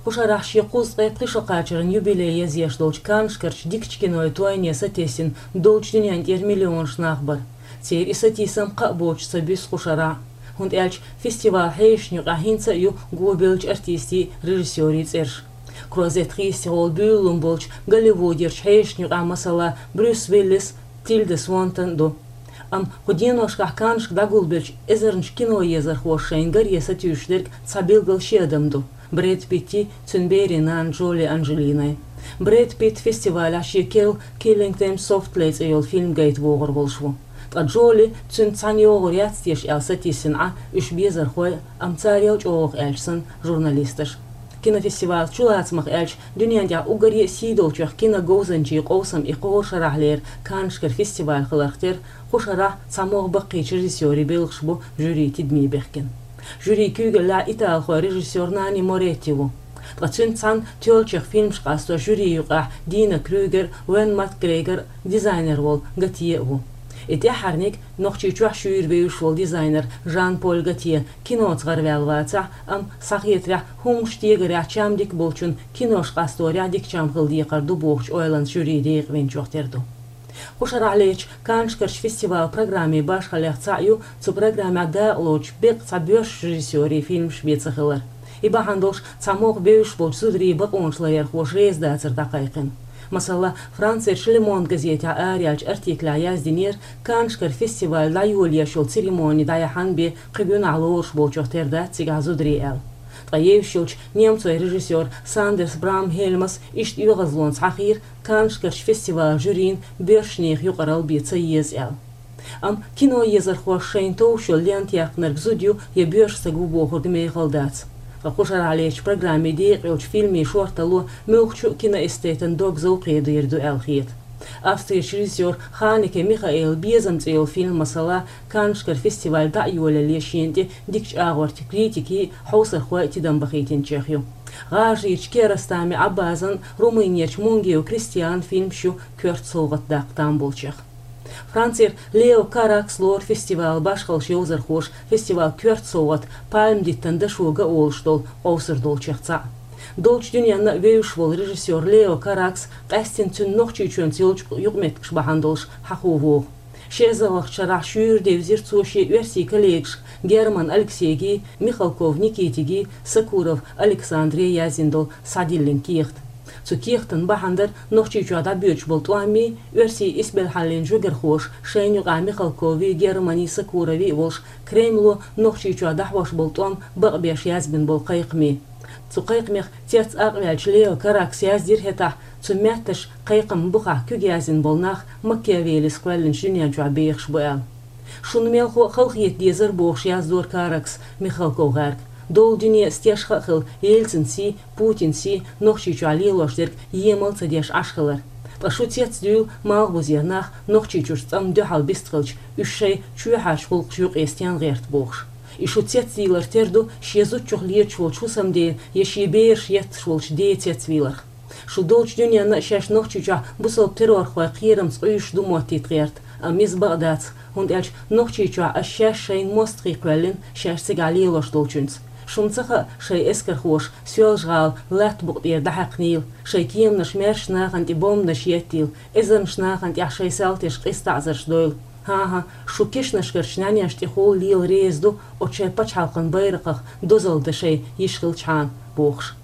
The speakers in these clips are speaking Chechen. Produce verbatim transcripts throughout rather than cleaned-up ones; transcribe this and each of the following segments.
Кху шарахь шен кхузткъе пхи шо кхачаран юбилей езъеш долчу Каннашкарчу дикачу кинойн тойне сатесна долчу дуьнен тӀера миллионаш нах бара. Церан и сатийсам кхаъ боцуш ца буьсу кху шарахь, хӀунда аьлча фестивалан хьешашна юкъахь хӀинца а ю гобевллачу артистийн, режиссерийн цӀераш. Крозет хийцаца гӀолла буьйлалун болчу Голливудерчу хьешашна юкъахь, масала, Брюс Уиллис, Тильда Свинтон ду. Амма кху деношкахь Каннашка дӀагулбеллачу эзарнаш киноезархоша шайна гаре сатуьйсуш дерг цхьа билггал ши адам ду: Брэд Питтий, цуьнан берийн нанна Джоли Анджелиной. Брэд Питт фестивалехь шен керла Killing Them Softly цӀе йолу фильм гайта вогӀур волуш ву. Ткъа Джоли, цуьнца цхьаьна йогӀур яц теша аьлла, сатийсина Ӏа уьш безархой, амма царел, чӀогӀа аьлча санна, журналисташ. Кинофестивалан чулацамах аьлча, дуьнен тӀехь уггаре а сий долчех киноговзанчийн къовсам и кхоран шарахьлера Каннашкара фестиваль хиларх тера, кху шарахь цхьа могӀа баккхийчу режиссерийн белхаш бу жюрин тидаме бехкина. Жюрин куьйгаллехь италхой режиссер Нани Моретти ву. Ткъа цуьнца цхьаьна тоьллачех фильмаш къасто жюрин юкъахь Дина Крюгер, Уэн Макгрегор, дизайнер волу Готье а ву. И тӀаьххьарниг Нохчийчохь шуьйра вевзаш волу дизайнер Жан-Поль Готье киноца гӀараваьлла вацахь, амма, схьахетарехь, хӀуманаш тегарехь чам дика болчун кинош къасторехь дика чам хила декхар ду бохучу ойланца жюрин декъа винчух тера ду. Кху шарахьлерчу Каннашкарчу фестивалан программин башхаллех цхьаъ ю цу программехь дакъалоцуш беккъа цхьа боьрша режиссерийн фильмаш бен ца хилар. И бахьана долуш цхьа могӀа бевзаш болчу зударийн бакъонаш ларъярхоша реза дацар дӀакхайкхина. Масала, Францерчу Le Monde газетехь араяьллачу артиклехь яздинера Каннашкара фестиваль дӀайолош йолу церемони дӀаяхьна бен кхин гуьнахь лоруш болчух тера дац цигахь зударий аьлла. Ткъа евзаш йолчу немцойн режиссер Сандерс Брамхельмас иштта оьгӀазлонца схьахийра Каннашкарчу фестивалан жюрина боьршачу нехан юкъаралла бен ца еза аьлла. Амма киноезархоша шайна товш йолу лента яьккхинарг зуда ю я боьрша стаг ву бохург мехала дац. Ткъа кху шарахьлерчу программин декъа йолчу фильмийн шортало муьлххачу а киноэстетан дог зовкхе дийр ду аьлла хета. Австрерчу режиссеран Ханеке Михаэлан «Безам» цӀе йолу фильм, масала, Каннашкара фестиваль дӀа а йолале шена тӀе дикачу агӀор критикийн а, хьовсархойн а тидам бахийтинчех ю. ГӀажарийчу Киаростами Ӏаббазан а, Румынерчу Мунгиу Кристианан фильмаш ю коьрта совгӀат даккха там болчех. Францера Лео Каракс лору фестивалан башхаллаш йовзархоша фестивалан коьрта совгӀат, пальман диттан дашо ган олуш долу, къовсур долчех цхьаъ. Долчу дуьненна а вевзаш волу режиссер Лео Каракс къаьсттина цуьнан Нохчийчоьнца йолчу юкъаметтигаш бахьана долуш хьахо вогӀу. Ши эзарлагӀчу шарахь шуьйра девзира цо шен оьрсийн коллегашка Герман Алексейгий, Михалков Никитигий, Сокуров Александрий яздина долу схьадиллина кехат. Цу кехатан бахьана дара Нохчийчохь дӀабоьдуш болу тӀоми, оьрсийн исбелхьаллин жуьгтахоша, шайна юкъахь Михалкови, Германи, Сокурови а волуш, Кремло Нохчийчохь дӀахьош болу тӀом бакъбеш язбина болу кхайкхамий. Цу кхайкхамех цец акъваьллачу Лео Каракса яздира хӀетахь, цу метташа кхайкхаман бухахь куьг яздина болу нах Макиавеллис кхоьллинчу дуьнен чохь бехаш бу аьлла. Шуна мелхо а халахета дезара бохуш яздора Каракса Михалков гӀаьрга. Долу дуьне а стешха а хилла, Ельцин сий, Путин сий Нохчийчохь лелош дерг емал ца деш Ӏаш хилар. Ткъа шу цецдуьйла малхбузера нах Нохчийчуьрчу цӀанна дуьхьал бистхилча, уьш шайн чоьхьарчу гӀуллакхаша юкъе стен гӀерта бохуш. И шу цецдийлар тера ду шен зудчух леташ волчу хӀусамдена я шен бераш етташ волчу ден цецвийларх. Шу долчу дуьненна а шаьш Нохчийчохь бусалба террорхойн кхерамца къуьйсуш ду моттийта гӀерта, амма иза бакъ дац, хӀунда аьлча Нохчийчохь ас шаьш шайна мостагӀий кхоьллина шаьш цигахь лелош долчуьнца. Шуна ца хаьа, шайн эскархоша Соьлжа-ГӀала латта букъа тӀера дӀахьаькхнийла, шайн кеманаш маьршачу нахана тӀе бомбанаш еттийла, эзарнаш нахана тӀехь шайн салтеш къиза таӀзарш дойла. ХӀан-хӀа, шу кешнашкарчу нӀаьнешна тӀехула лела реза ду, оцу шайн пачхьалкхан байракхах дозалла дан шайн йиш хилчхьана, бохуш.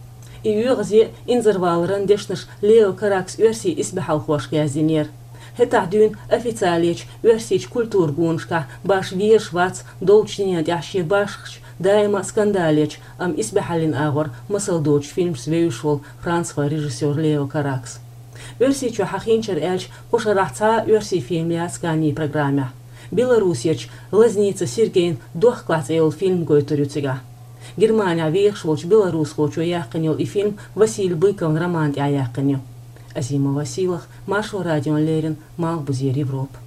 И оьгӀазе а, инзарваларан дешнаш Лео Каракса оьрсийн исбаьхьалхошка яздинера. ХӀетахь дуьйна официалечу оьрсийчу культуран гонашкахь баш везаш вац долчу дуьнен тӀехь шен башхачу, даима а скандалечу, амма исбаьхьаллин агӀор масал доцучу фильмашца вевзаш волу францхой режиссер Лео Каракс. Оьрсийчохь хьахийначуьра аьлча, кху шарахь цхьа а оьрсийн фильм яц Каннийн программехь. Беларусерчу Лазница Сергейн «Дохкалахь» цӀе йолу фильм гойтур ю цигахь. Германехь вехаш волчу беларусхочо яьккхина йолу и фильм Василий Быковн роман тӀехь яьккхина ю. Азимова Сийлаха, Маршо радиона леррина, Малхбузера Европа.